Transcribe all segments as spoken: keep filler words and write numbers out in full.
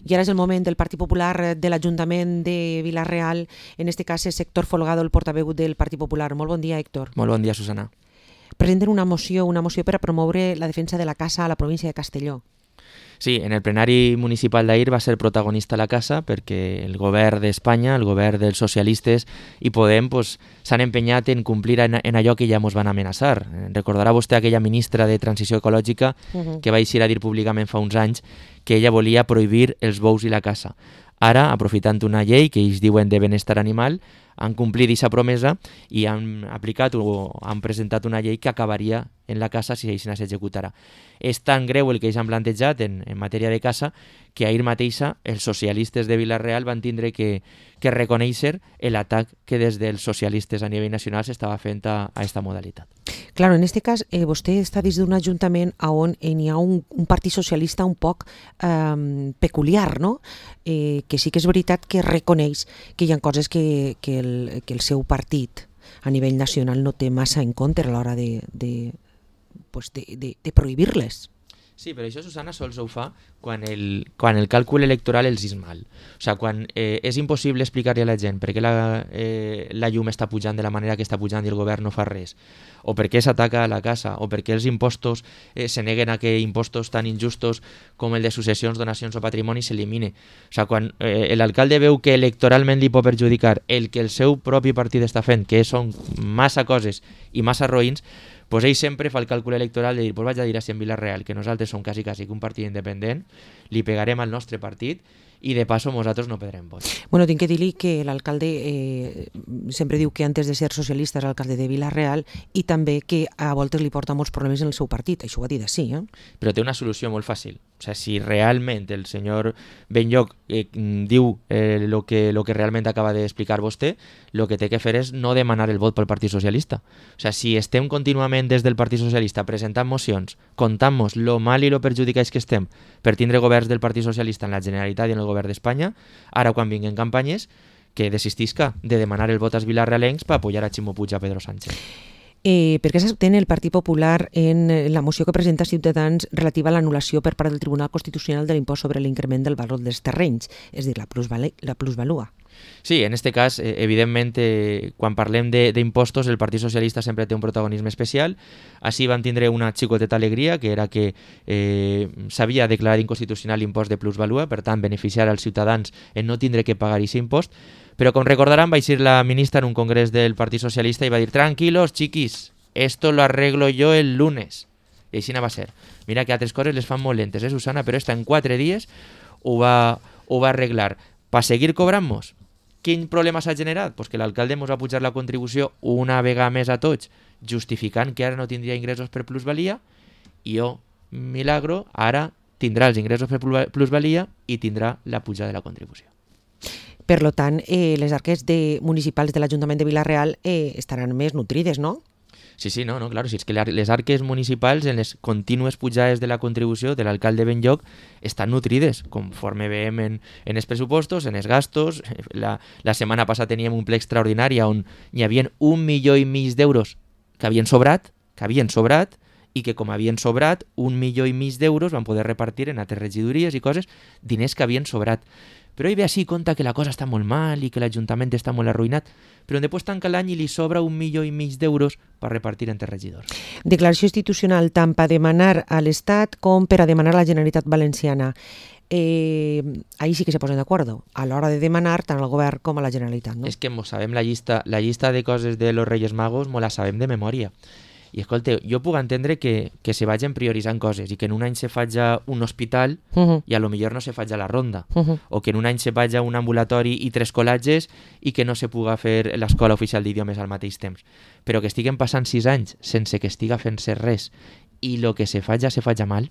I ara és el moment del Partit Popular de l'Ajuntament de Vila-real, en este cas és Héctor Folgado, el portaveu del Partit Popular. Molt bon dia, Héctor. Molt bon dia, Susana. Presenten una moció, una moció per a promoure la defensa de la caça a la província de Castelló. Sí, en el plenari municipal d'ahir va ser protagonista la casa perquè el govern d'Espanya, el govern dels socialistes i Podem pues, s'han empenyat en complir en, en allò que ja ens van amenaçar. Recordarà vostè aquella ministra de Transició Ecològica uh-huh. que va eixir a dir públicament fa uns anys que ella volia prohibir els bous i la caça. Ara, aprofitant una llei que ells diuen de benestar animal, han complit aquesta promesa i han aplicat o han presentat una llei que acabaria en la caça si això no s'executarà. És tan greu el que ells han plantejat en, en matèria de caça que ahir mateixa els socialistes de Vila-real van tindre que, que reconèixer l'atac que des dels socialistes a nivell nacional s'estava fent a aquesta modalitat. Claro, en este cas, eh, vostè està dins d'un ajuntament on eh, hi ha un, un partit socialista un poc eh, peculiar, no? Eh, que sí que és veritat que reconeix que hi ha coses que, que, el, que el seu partit a nivell nacional no té massa en compte a l'hora de, de, pues de, de, de prohibir-les. Sí, però això, Susana, sols ho fa quan el, quan el càlcul electoral els és mal. O sigui, quan eh, és impossible explicar-li a la gent per què la, eh, la llum està pujant de la manera que està pujant i el govern no fa res, o per què s'ataca a la casa, o per què els impostos eh, se neguen a que impostos tan injustos com el de successions, donacions o patrimoni s'elimine. O sigui, quan eh, l'alcalde veu que electoralment li pot perjudicar el que el seu propi partit està fent, que són massa coses i massa roïns, pues ell sempre fa el càlcul electoral de dir, pues vaig a dir així en Vila-real, que nosaltres som quasi, quasi un partit independent, li pegarem al nostre partit i de passo nosaltres no perdrem vots. Bueno, tinc que dir-li que l'alcalde eh, sempre diu que antes de ser socialista és l'alcalde de Vila-real i també que a voltes li porta molts problemes en el seu partit, això ho ha dit així. Eh? Però té una solució molt fàcil. O sigui, si realment el senyor Benlloch eh, diu eh, lo, que, lo que realment acaba d'explicar vostè, el que té que fer és no demanar el vot pel Partit Socialista. O sigui, si estem contínuament des del Partit Socialista presentant mocions, contant-nos lo mal i lo perjudicats que estem per tindre governs del Partit Socialista en la Generalitat i en el govern d'Espanya, ara quan vinguin campanyes, que desistisca de demanar el vot als vilarrealencs per apoyar a Ximo Puig i a Pedro Sánchez. Eh, per què s'abstén el Partit Popular en la moció que presenta Ciutadans relativa a l'anul·lació per part del Tribunal Constitucional de l'impost sobre l'increment del valor dels terrenys, és a dir, la, plusval la plusvalua? Sí, en este cas, eh, evidentment, eh, quan parlem d'impostos, el Partit Socialista sempre té un protagonisme especial. Així vam tindre una xicoteta alegria, que era que eh, s'havia declarat inconstitucional l'impost de plusvalua, per tant, beneficiar als ciutadans en no tindre que pagar aquest impost. Però, com recordaran, va eixir la ministra en un congrés del Partit Socialista i va dir «Tranquilos, chiquis, esto lo arreglo yo el lunes». I així va ser. Mira que altres coses les fan molt lentes, eh, Susana? Però esta en quatre dies ho va, ho va arreglar. Per seguir cobrant-nos. Quin problema s'ha generat? Pues que l'alcalde ens va pujar la contribució una vegada més a tots, justificant que ara no tindria ingressos per plusvalia, i oh, milagro, ara tindrà els ingressos per plusvalia i tindrà la pujada de la contribució. Per tant, eh, les arques de, municipals de l'Ajuntament de Vila-real eh, estaran més nutrides, no? Sí, sí, no, no, claro, si és que les arques municipals en les contínues pujades de la contribució de l'alcalde Benlloch estan nutrides, conforme veiem en, en els pressupostos, en els gastos. La, la setmana passada teníem un ple extraordinari on hi havia un milió i mig d'euros que havien sobrat, que havien sobrat, i que com havien sobrat, un milió i mig d'euros van poder repartir en altres regidories i coses, diners que havien sobrat. Però ell ve així, compta que la cosa està molt mal i que l'Ajuntament està molt arruïnat, però després tanca l'any i li sobra un milió i mig d'euros per repartir entre regidors. Declaració institucional tant per demanar a l'Estat com per a demanar a la Generalitat Valenciana. Eh, ahí sí que se posen d'acord a l'hora de demanar tant al govern com a la Generalitat. No? És que mos sabem la llista, la llista de coses de los Reyes Magos, mos la sabem de memòria. I escolta, jo puc entendre que, que se vagin prioritzant coses i que en un any se faci un hospital uh-huh. i a lo millor no se faci la ronda, uh-huh. o que en un any se faci un ambulatori i tres col·latges i que no se puga fer l'escola oficial d'idiomes al mateix temps. Però que estiguen passant sis anys sense que estiga fent-se res i el que se faci se faci mal.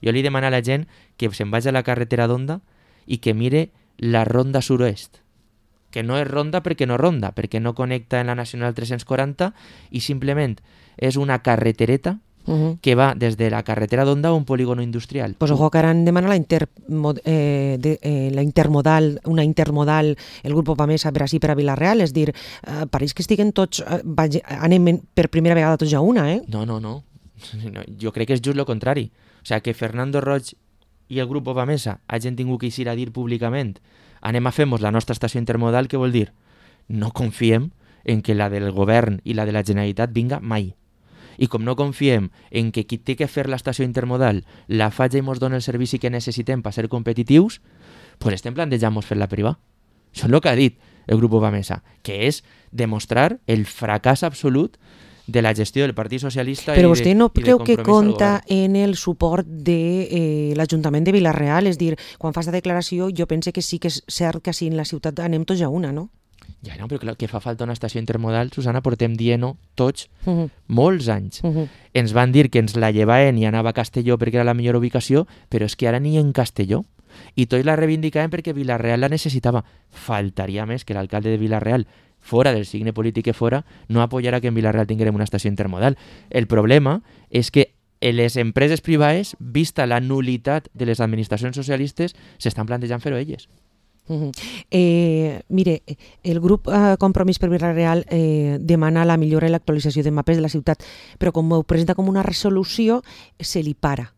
Jo li demano a la gent que se'n vagi a la carretera d'Onda i que mire la ronda sud-oest, que no és ronda perquè no ronda, perquè no connecta en la Nacional tres-cents quaranta i simplement és una carretereta uh-huh. que va des de la carretera d'Onda a un polígono industrial. Pues ojo que ara han demanat la, inter, eh, de, eh, la intermodal, una intermodal, el grup Pamesa per així per a Vila-real, és dir, eh, pareix que estiguen tots, eh, anem per primera vegada tots a una, eh? No, no, no, no, jo crec que és just el contrari. O sigui, que Fernando Roig i el grup Bovamesa hagin tingut que eixir a dir públicament anem a fer-nos la nostra estació intermodal, què vol dir? No confiem en que la del govern i la de la Generalitat vinga mai. I com no confiem en que qui té que fer l'estació intermodal la faci i ens doni el servici que necessitem per ser competitius, pues estem plantejant-nos fer-la privada. Això és el que ha dit el grup Bovamesa, que és demostrar el fracàs absolut de la gestió del Partit Socialista. Però i vostè de, no i de creu que compromís al compta govern. en el suport de eh, l'Ajuntament de Vila-real? És dir, quan fa aquesta declaració jo pense que sí que és cert que així en la ciutat anem tots a una, no? Ja, no, però clar, que fa falta una estació intermodal, Susana, portem dient-ho tots Uh -huh. molts anys. Uh -huh. Ens van dir que ens la llevaven i anava a Castelló perquè era la millor ubicació, però és que ara ni en Castelló. I tots la reivindicaven perquè Vila-real la necessitava. Faltaria més que l'alcalde de Vila-real, fora del signe polític que fora, no apoyarà que en Vila-real tinguem una estació intermodal. El problema és que les empreses privades, vista la nulitat de les administracions socialistes, s'estan plantejant fer-ho elles. Uh -huh. eh, mire, el grup eh, Compromís per Vila-real eh, demana la millora i l'actualització de mapes de la ciutat, però com ho presenta com una resolució, se li para.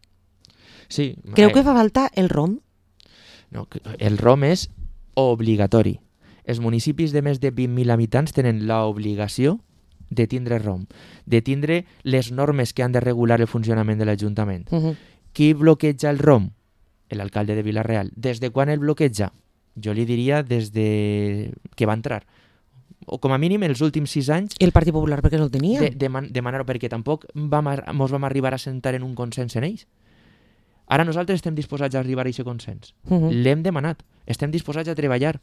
Sí, Creu eh, que fa falta el R O M? No, el R O M és obligatori. Els municipis de més de vint mil habitants tenen l'obligació de tindre R O M, de tindre les normes que han de regular el funcionament de l'Ajuntament. Uh -huh. Qui bloqueja el R O M? L'alcalde de Vila-real. Des de quan el bloqueja? Jo li diria des de que va entrar. O com a mínim els últims sis anys El Partit Popular perquè no el tenia? de, de man, demanar-ho, perquè tampoc vam, mos vam arribar a sentar en un consens en ells. Ara nosaltres estem disposats a arribar a aquest consens. Uh -huh. L'hem demanat. Estem disposats a treballar.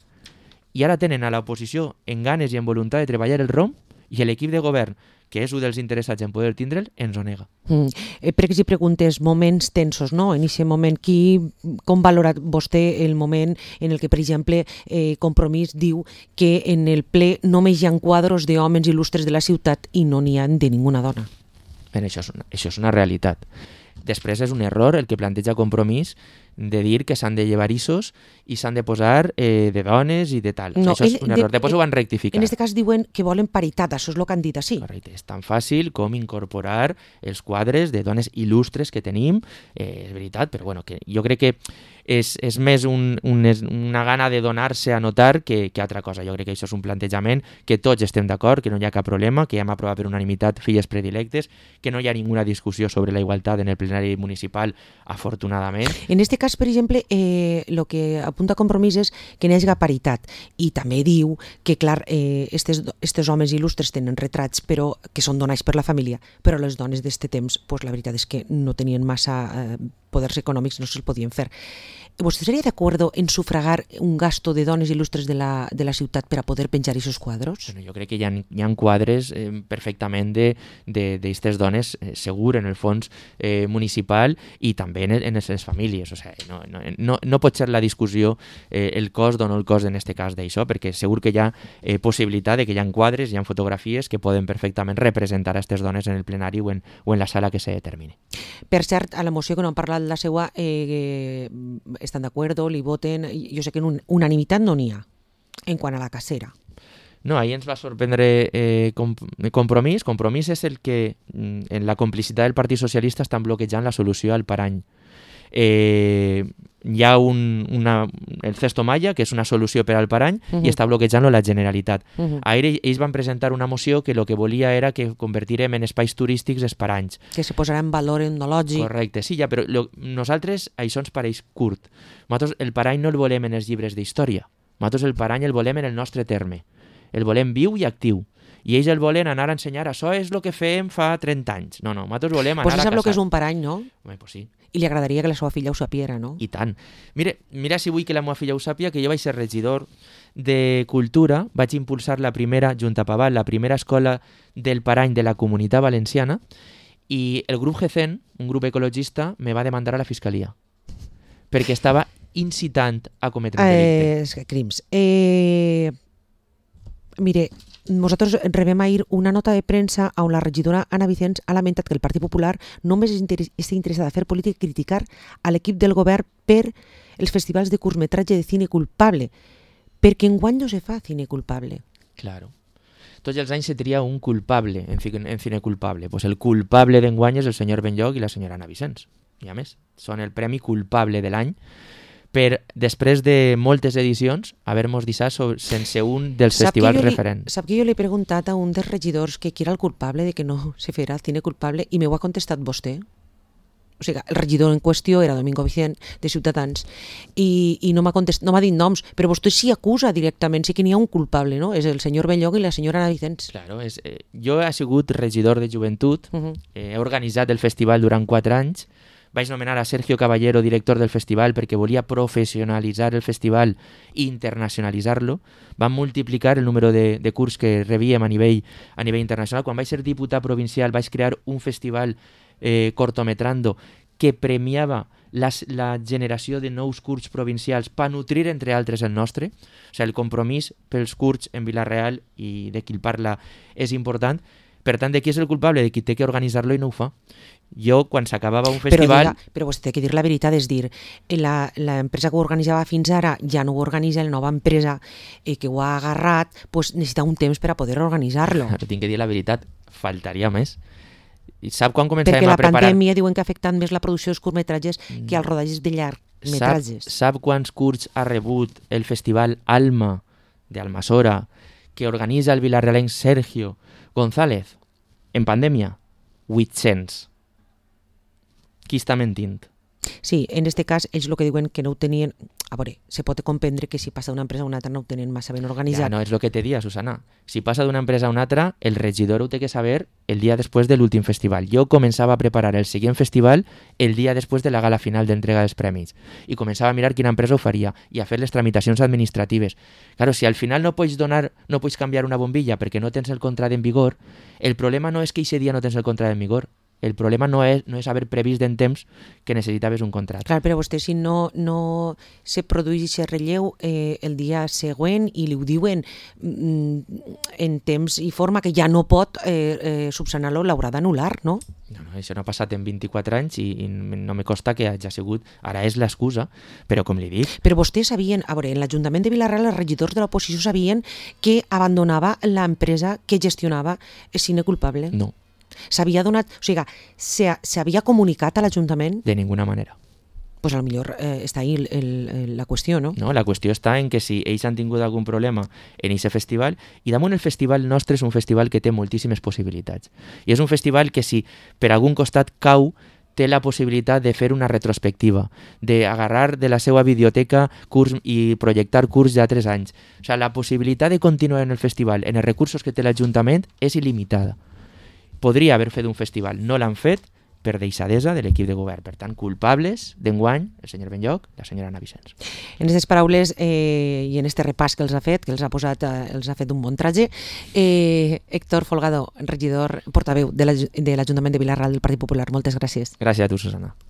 I ara tenen a l'oposició en ganes i en voluntat de treballar el R O M i l'equip de govern, que és un dels interessats en poder tindre'l, ens ho nega. Mm. Eh, perquè si preguntes moments tensos, no? En aquest moment, qui, com valora vostè el moment en el que, per exemple, eh, Compromís diu que en el ple només hi ha quadros d'homes il·lustres de la ciutat i no n'hi ha de ninguna dona? Bé, això és una, això és una realitat. Després és un error el que planteja Compromís de dir que s'han de llevar issos i s'han de posar eh, de dones i de tal. No, això és ell- un error. de- Després ho van rectificar. En aquest cas diuen que volen paritat, això és el que han dit així. Correcte. És tan fàcil com incorporar els quadres de dones il·lustres que tenim, eh, és veritat, però bueno, que jo crec que és, és més un, un, és una gana de donar-se a notar que, que altra cosa. Jo crec que això és un plantejament que tots estem d'acord, que no hi ha cap problema, que ja hem aprovat per unanimitat filles predilectes, que no hi ha ninguna discussió sobre la igualtat en el plenari municipal, afortunadament. En aquest cas, per exemple, eh, el que apunta Compromís és que n'hi hagi paritat i també diu que, clar, eh, estes, estes homes il·lustres tenen retrats però que són donats per la família, però les dones d'este temps, pues, la veritat és que no tenien massa eh, poders econòmics, no se'ls podien fer. ¿Vostè seria d'acord en sufragar un gasto de dones il·lustres de la, de la ciutat per a poder penjar aquests quadros? Bueno, jo crec que hi ha, hi ha quadres eh, perfectament d'aquestes dones, eh, segur, en el fons eh, municipal i també en, en les famílies. O sigui, no, no, no, no pot ser la discussió eh, el cost o no el cost en aquest cas d'això, perquè segur que hi ha eh, possibilitat de que hi ha quadres, hi ha fotografies que poden perfectament representar a aquestes dones en el plenari o en, o en la sala que se determini. Per cert, a la moció que no han parlat la seva, eh, estan d'acord, li voten, jo sé que en un, unanimitat no n'hi ha, en quant a la cacera. No, ahir ens va sorprendre eh, com, Compromís. Compromís és el que, mm, en la complicitat del Partit Socialista, estan bloquejant la solució al parany. Eh, hi ha un, una, el Cesto Maya, que és una solució per al parany, uh -huh. i està bloquejant-lo la Generalitat. Uh -huh. Ahir ells van presentar una moció que el que volia era que convertirem en espais turístics els paranys. Que se posarà en valor etnològic. Correcte, sí, ja, però lo, nosaltres això ens pareix curt. Nosaltres el parany no el volem en els llibres d'història. Nosaltres el parany el volem en el nostre terme. El volem viu i actiu. I ells el volen anar a ensenyar, això és el que fèiem fa trenta anys. No, no, nosaltres volem anar pues a caçar. Pues sap el que és un parany, no? Home, pues sí. I li agradaria que la seva filla ho sapiera, no? I tant. Mira, mira si vull que la meva filla ho sàpia, que jo vaig ser regidor de Cultura, vaig impulsar la primera, Junta Paval, la primera escola del parany de la Comunitat Valenciana, i el grup G C E N, un grup ecologista, me va demandar a la Fiscalia, perquè estava incitant a cometre un delicte. Eh, crims. Eh, mire, nosaltres rebem ahir una nota de premsa on la regidora Anna Vicens ha lamentat que el Partit Popular només estigui interessada a fer política i criticar a l'equip del govern per els festivals de curtmetratge de cine culpable, perquè enguany no se fa cine culpable. Claro. Tots els anys se tria un culpable en, en cine culpable. Pues el culpable d'enguany és el senyor Benlloch i la senyora Anna Vicens. i a més són el premi culpable de l'any per, després de moltes edicions, haver-nos deixat sense un dels Sap festivals que jo li- referents. Sap que jo li he preguntat a un dels regidors que qui era el culpable de que no se fera cine culpable i m'ho ha contestat vostè. O sigui, el regidor en qüestió era Domingo Vicent, de Ciutadans, i, i no m'ha contestat, no m'ha dit noms, però vostè s'hi acusa directament, sí que n'hi ha un culpable, no? És el senyor Benlloc i la senyora Ana Vicens. Claro, és, eh, jo he sigut regidor de joventut, Uh -huh. eh, he organitzat el festival durant quatre anys, vaig nomenar a Sergio Caballero director del festival perquè volia professionalitzar el festival i internacionalitzar-lo. Vam multiplicar el número de, de curs que rebíem a nivell, a nivell internacional. Quan vaig ser diputat provincial vaig crear un festival eh, cortometrando que premiava la, la generació de nous curts provincials per nutrir, entre altres, el nostre. O sigui, el compromís pels curts en Vila-real i de qui el parla és important. Per tant, de qui és el culpable? De qui té que organitzar-lo i no ho fa. Jo, quan s'acabava un festival... Però, diga, però vostè té que dir la veritat, és dir, la, la empresa que ho organitzava fins ara ja no ho organitza, la nova empresa eh, que ho ha agarrat pues, necessita un temps per a poder organitzar-lo. Ara tinc que dir la veritat, faltaria més. I sap quan començàvem Perquè la a preparar... pandèmia diuen que ha afectat més la producció dels curtmetratges que els rodatges de Sap, llargmetratges. sap quants curts ha rebut el festival Alma d'Almassora que organitza el vilarrealenc Sergio González en pandèmia? vuit-cents. Qui està mentint? Sí, en este cas, ells el que diuen que no ho tenien... A veure, se pot comprendre que si passa d'una empresa a una altra no ho tenen massa ben organitzat. Ja, no, és el que te dia, Susana. Si passa d'una empresa a una altra, el regidor ho té que saber el dia després de l'últim festival. Jo començava a preparar el següent festival el dia després de la gala final d'entrega dels premis i començava a mirar quina empresa ho faria i a fer les tramitacions administratives. Claro, si al final no pots donar, no pots canviar una bombilla perquè no tens el contracte en vigor, el problema no és que aquest dia no tens el contracte en vigor. El problema no és, no és haver previst en temps que necessitaves un contracte. Clar, però vostè si no, no se produeix aquest relleu eh, el dia següent i li ho diuen mm, en temps i forma que ja no pot eh, eh, subsanar-lo, l'haurà d'anul·lar, no? No, no, això no ha passat en vint-i-quatre anys i, i no me costa que hagi sigut... Ara és l'excusa, però com li dic... Però vostès sabien, a veure, en l'Ajuntament de Vila-real els regidors de l'oposició sabien que abandonava l'empresa que gestionava el cine culpable? No, S'havia donat, o sigui, s'havia comunicat a l'Ajuntament? de ninguna manera. Pues a lo millor eh, està ahí el, el, la qüestió, no? No, la qüestió està en que si ells han tingut algun problema en aquest festival, i damunt el festival nostre és un festival que té moltíssimes possibilitats. I és un festival que si per algun costat cau, té la possibilitat de fer una retrospectiva, d'agarrar de la seva biblioteca curs i projectar curs d'altres anys. O sigui, la possibilitat de continuar en el festival en els recursos que té l'Ajuntament és il·limitada. Podria haver fet un festival, no l'han fet per deixadesa de l'equip de govern. Per tant, culpables d'enguany, el senyor Benlloc i la senyora Ana Vicens. En aquestes paraules eh, i en este repàs que els ha fet, que els ha posat, eh, els ha fet un bon traje, eh, Héctor Folgado, regidor portaveu de l'Ajuntament de Vila-real del Partit Popular, moltes gràcies. Gràcies a tu, Susana.